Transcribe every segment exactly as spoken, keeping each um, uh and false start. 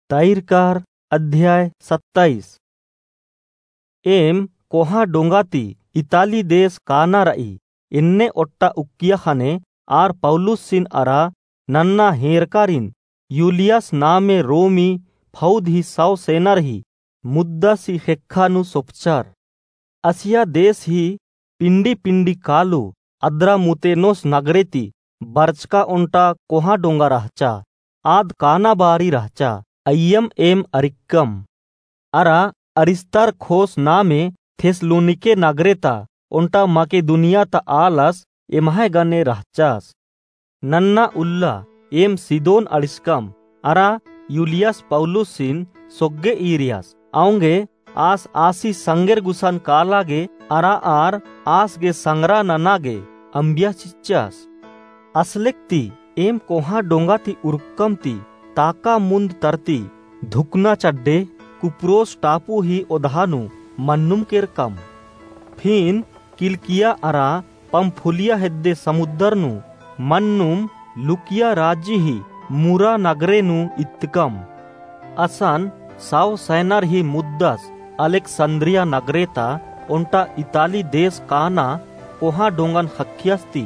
तैरकार अध्याय सत्ताईस। एम कोहाँ डोंगा ती इताली देश काना र'ई। एन्ने ओट्टा उक्किया ख़ने आर पौलुसिन अरा नन्ना हेंरकारिन यूलियस नामे रोमी फौद ही सौ सेनर ही मुद्दस ही ख़ेक्खा नू सोपचर। असिया देश ही पिंडी पिंडी कालू अद्रामुतेनोस नगरे ती बरचका ओन्टा कोहाँ डोंगा रहचा। आद काना बारी रहचा, अइय्यम एम अरिक्कम। अरा अरिस्तार्खोस नामे थेस्सलोनिके नगरे ता ओन्टा मकेदुनिया ता आलस एम्है गने रहचस। नन्ना उल्ला एम सिदोन अंड़िसकम, अरा यूलियस पौलुसिन सोग्गे ईरियस। औंगे आस आसी संगेर गुसन काला गे अरा आर आस गे संगरा नना गे अम्बिया चिच्चस। असलेक ती एम कोहाँ डोंगा ती उरकम ती ताका मुन्द तरती धुकना चड्डे कुप्रोस टापू ही ओदहा नू मन्नुम केरकम। फिन किलकिया अरा पंफूलिया हेद्दे समुद्दर नू मन्नुम लुकिया राजी ही मुरा नगरे नू इत्तकम। असन सौ सैनर ही मुद्दस अलेक्संद्रिया नगरे ता ओन्टा इताली देश काना कोहाँ डोंगन ख़क्खियस ती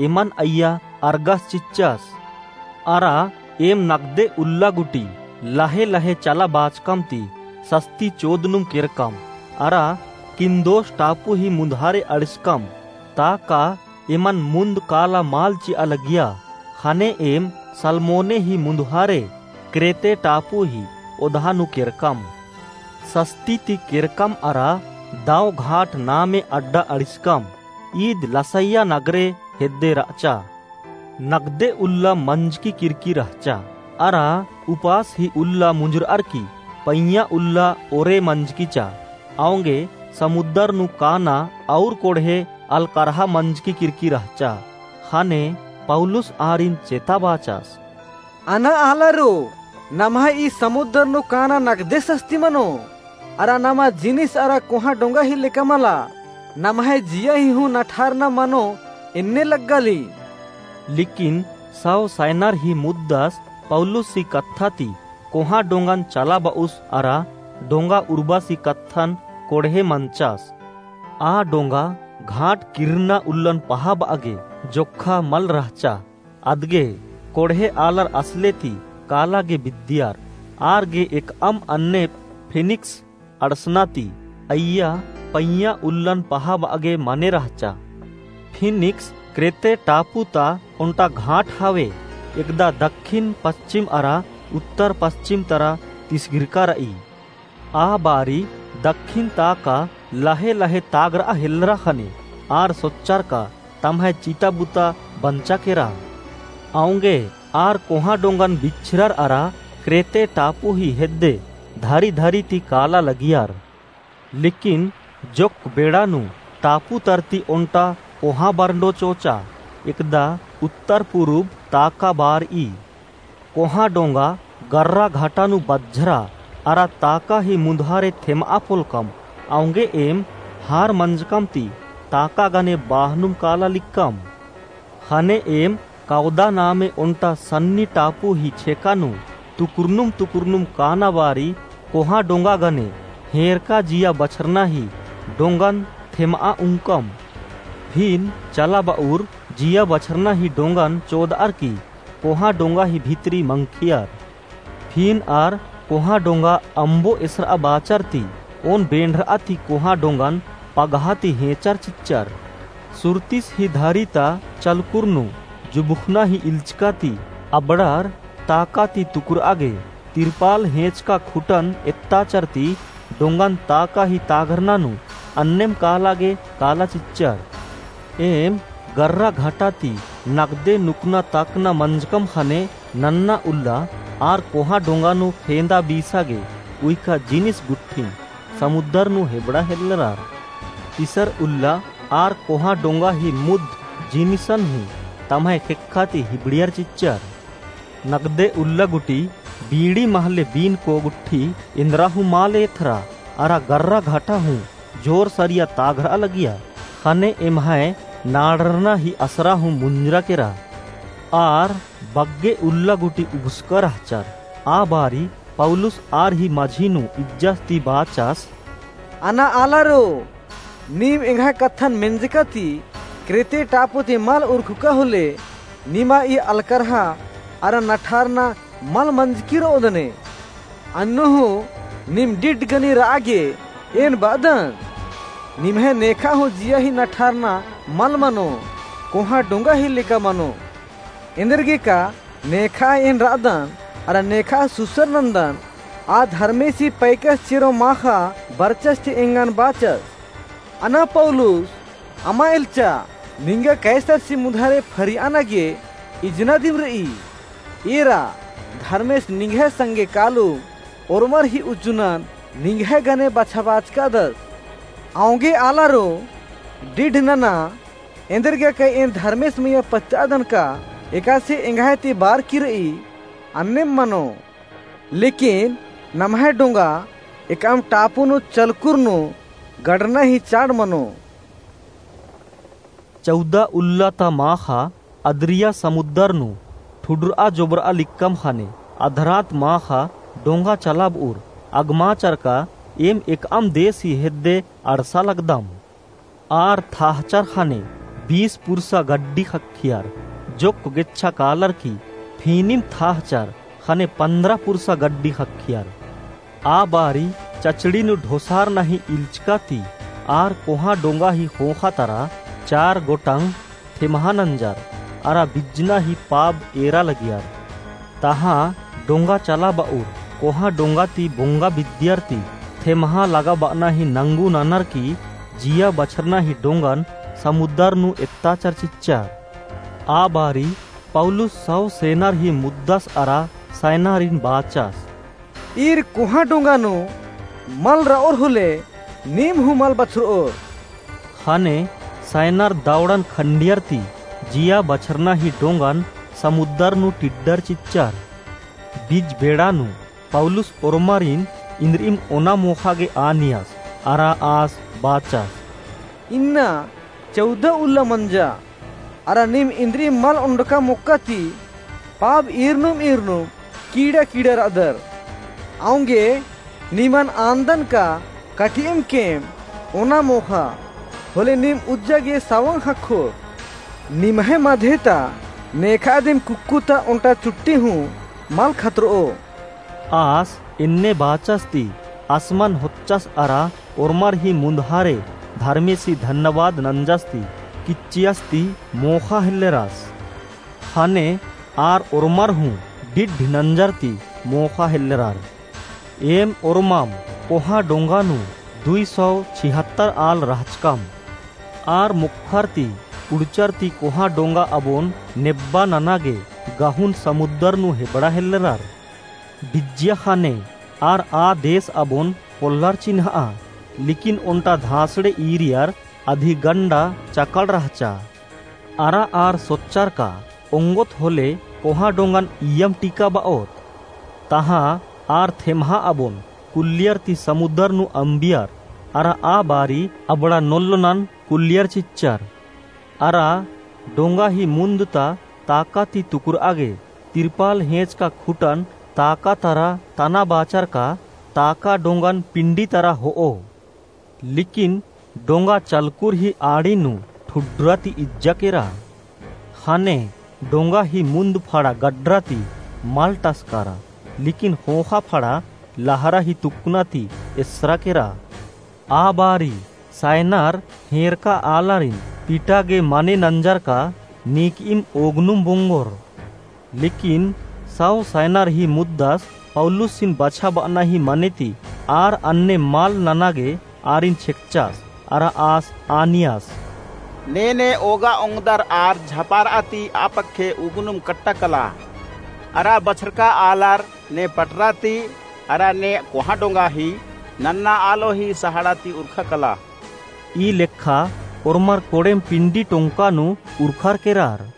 एमन अइय्या अरगस चिच्चस। अरा एम नगदे उल्ला गुटी लहे लहे चला बाचकम ती सस्ती चोदनुम केरकम। अरा किन्दोस टापू ही मुन्धारे अंड़िसकम, ताका एमन मुन्द काला मल चिआ लगिया। ख़ने एम सलमोने ही मुन्धारे क्रेते टापू ही ओदहा नू केरकम। सस्ती ती केरकम अरा दव घाट नामे अड्डा अंड़िसकम। ईद लसैया नगरे हेद्दे रहचा। नगदे उल्ला मंजकी किरकी रहचा। अरा उपास ही उल्ला मुंजुरअर की पैंया उल्ला ओरे मंजकी चा। औंगे समुद्दर नू काना और कोड़हे अलकरहा मंजकी किरकी रहचा। ख़ने पौलुस आरिन चेता बाचस। अना आलरो, नम्है ई समुद्दर नू काना नगदे सस्ती मनो। अरा नमा जिनिस अरा कोहाँ डोंगा ही लेका मला, नम्है जिया ही हूँ नठारना मनो एन्ने लग्गाली। लेकिन सौ सैनर ही मुद्दस पौलुस ही कत्था ती कोहाँ डोंगन चला ब'उस अरा डोंगा उरबस ही कत्थन कोड़हे मंचस। आ डोंगा घाट किर्रना उल्लन पहाब'आ गे जोक्खा मल रहचा। अदगे कोड़हे आलर असले ती काला गे बिद्दियर। आर गे एकअम अन्ने फीनिक्स अंड़सना ती अइय्या पैंया उल्लन पहाब'आ गे मने रहचा। फीनिक्स क्रेते टापू ता ओन्टा घाट हवे, एकदा दक्खिन पस्चिम अरा उत्तर पस्चिम तरा तिसगिरका र'ई। आ बारी दक्खिन ताका लहे लहे तागर'आ हेल्लरा ख़ने आर सोच्चर का तम्है चिता बुता बंचा केरा। औंगे आर कोहाँ डोंगन बिछरर अरा क्रेते टापू ही हेद्दे धरी धरी ती काला लगियर। लेकिन जोक्क बेड़ा नू टापू तरती ओन्टा कोहाँ बरंडो चोचा एकदा उत्तर पुरुब ताका बार'ई। कोहाँ डोंगा गर्रा घाटा नू बज्झरा अरा ताका ही मुन्धारे थेम'आ पोलकम। औंगे एम हार मंजकम ती ताका गने बाहनुम काला लिक्कम। ख़ने एम कौदा नामे ओन्टा सन्नी टापू ही छेका नू तुकुरनुम तुकुरनुम काना बारी कोहाँ डोंगा गने हेंरका जिया बछरना ही डोंगन थेम'आ उंकम। फिन चला ब'उर जिया बछरना ही डोंगन चोद'अर की कोहाँ डोंगा ही भितरी मंखियर। फिन आर कोहाँ डोंगा अम्बो एसर'आ बाचर ती ओन बेंड़र'आ ती कोहाँ डोंगन पगहा ती हेंचर चिच्चर। सुरतिस ही धरी ता चलकुर नू जुबुखना ही इल्चका ती अबड़र ताका ती तुकुर'आ गे तिरपाल हेंचका खुटन एत्ताचर ती डोंगन ताका ही तागरना नू अन्नेम काला गे काला चिच्चर। एम गर्रा घाटा ती नगदे नुकना ताकना मंजकम ख़ने नन्ना उल्ला आर कोहाँ डोंगा नू फेंदा बीसा गे उइका जिनिस गुट्ठिन समुद्दर नू हेबड़ा हेल्लरर। तिसर उल्ला आर कोहाँ डोंगा ही मुद्द जिनिसन हूँ तम्है ख़ेक्खा ती हिबड़ियर चिच्चर। नगदे उल्ला गुटी बीड़ी महले बीनको गुट्ठी एन्दरा हूँ माले एथरा अरा गर्रा घाटा हूँ जोर सरिया तागर'आ लगिया। ख़ने एम्है नाड़रना ही असरा हूँ मुंजरा केरा। आर बग्गे उल्ला गुटी उबसका रहचर। आ बारी पौलुस आर ही मझी नू इज्जस ती बाचस, अना आलारो, नीम एंग्है कत्थन मेंजका ती क्रेते टापू ती मल उरखुका होले, निमा ई अलकरहा अरा नठारना मल मंजकी रओदने। अन्नु हूँ नीम डिड्ड गनी रआ गे एन बअदन। निम्है नेखा हूँ जिया ही नठारना मल मनो, कोहाँ डोंगा ही लेका मनो। एन्देरगे का नेखा एन रअदन, अरा नेखा सुसर नन्दन, आ धर्मेसी पैकस चेरो माखा बरचस ती एंगन बाचस। अना पौलुस, अमा एल्चा, निंगा कैसरसी मुन्धारे फरियाना गे इजना दिम रई। एरा, धर्मेस निंग्है संगे कालू ओर्मर ही उज्जुनन निंग्है गने बछाबाचकादस। औंगे आलारो, डिड्ड नना, एन्देरगे का एन धर्मेस मइय्याँ पच्चादन का एकासे एंग्है ती बारकी रई, अन्नेम मनो। लेकिन नम्है डोंगा एकअम टापू नू चलकुर नू गड़ना ही चाड़ मनो। चौदह उल्ला ता माखा अद्रिया समुद्दर नू ठुडरआ जोबरआ लिक्कम ख़ने अधरात माखा डोंगा चलाबउर अगमाचर का एम एकअम देस ही हेद्दे अंड़सा लगदम। आर थाहचर ख़ने बीस पुरसा गड्डी ख़क्खियर, जोक्क गेच्छा कालर की फिनिम थाहचर ख़ने पन्द्रह पुरसा गड्डी ख़क्खियर। आ बारी चचड़ी नू ढोसारना ही इल्चका ती आर कोहाँ डोंगा ही ख़ोख़ा तरा चार गोटंग थेम्हा नंजर अरा बिज्जना ही पाब एरा लगियर। तहाँ डोंगा चलाबउर कोहाँ डोंगा ती बोंगा बिद्दियर ती थेम्हा लगाबअना ही नंगू ननर की जिया बछरना ही डोंगन समुद्दर नू एत्ताचर चिच्चर। आ बारी पौलुस सौ सेनर ही मुद्दस अरा सैनारिन बाचस, ईर कोहाँ डोंगा नू मल रओर होले नीम हूँ मल बछरओर। ख़ने सैनर दौड़न खंडियर ती जिया बछरना ही डोंगन समुद्दर नू टिड्डर चिच्चर। बिज्ज बेड़ा नू पौलुस ओर्मारिन इन्द्रिइम ओना मोख़ा गे आनियस अरा आस बाचस, इन्ना चौदह उल्ला मंजा अरा नीम इन्द्रिइम मल ओंडका मोक्का ती पाब ईरनुम ईरनुम कीड़ा कीड़ा रअदर। औंगे निमन आन्दन का कटिइम केम ओना मोख़ा होले नीम उज्जा गे सवंग ख़क्खोर। निम्है मधे ता नेखा दिम कुक्कु ता ओन्टा चुट्टी हूँ मल खतरओ। आस एन्ने बाचस ती असमन होच्चस अरा ओर्मर ही मुन्धारे धर्मेसी धन्यवाद नंजस ती किच्चियस ती मोख़ा हेल्लेरस। ख़ने आर ओर्मर हूँ डिड्ड नंजर ती मोख़ा हेल्लेरर। एम ओर्मम कोहाँ डोंगा नू दुई सौ छिहत्तर आल रहचकम। आर मुक्खर ती कुड़चर ती कोहाँ डोंगा अबोन नेब्बा नना गे गहुन समुद्दर नू हेबड़ा हेल्लेरर। बिज्जिया ख़ने आर आ देस अबोन पोल्लर चिन्हआ, लेकिन ओन्टा धाँसड़े ईरियर अदी गंडा चकल रहचा। अरा आर सोच्चर का ओंगोत होले कोहाँ डोंगन इय्यम टिका बओत। तहाँ आर थेम्हा अबोन कुल्लियर ती समुद्दर नू अम्बियर, अरा आ बारी अबड़ा नोल्लोनन कुल्लियर चिच्चर। अरा डोंगा ही मुन्द ता ताका ती तुकुरआ गे तिरपाल हेंचका खुटन ताका तरा तना बाचर का ताका डोंगन पिंडी तरा होओ। लेकिन डोंगा चलकुर ही आड़ी नू ठुड्रा ती इज्जा केरा। ख़ने डोंगा ही मुन्द फड़ा गड्रा ती मल टसकारा, लेकिन ख़ोख़ा फड़ा लहरा ही तुक्कना ती एसरा केरा। आ बारी सैनर हेंरका आलारिन पिटा गे मने नंजर का नीकइम ओगनुम बोंगोर। लेकिन सौ सैनर ही मुद्दस पौलुसिन बछाबअना ही मने ती आर अन्ने मल नना गे आरिन छेकचस, अरा आस आनियस, ने ने ओगा ओंगदर आर झपारआ ती आ पक्खे उगनुम कट्टा कला, अरा बछरका आलर ने पटरा ती, अरा ने कोहाँ डोंगा ही नन्ना आलो ही सहाड़ा ती उरखा कला। ई लेखा ओर्मर कोड़ेम पिंडी टोंका नू उरखर केरार।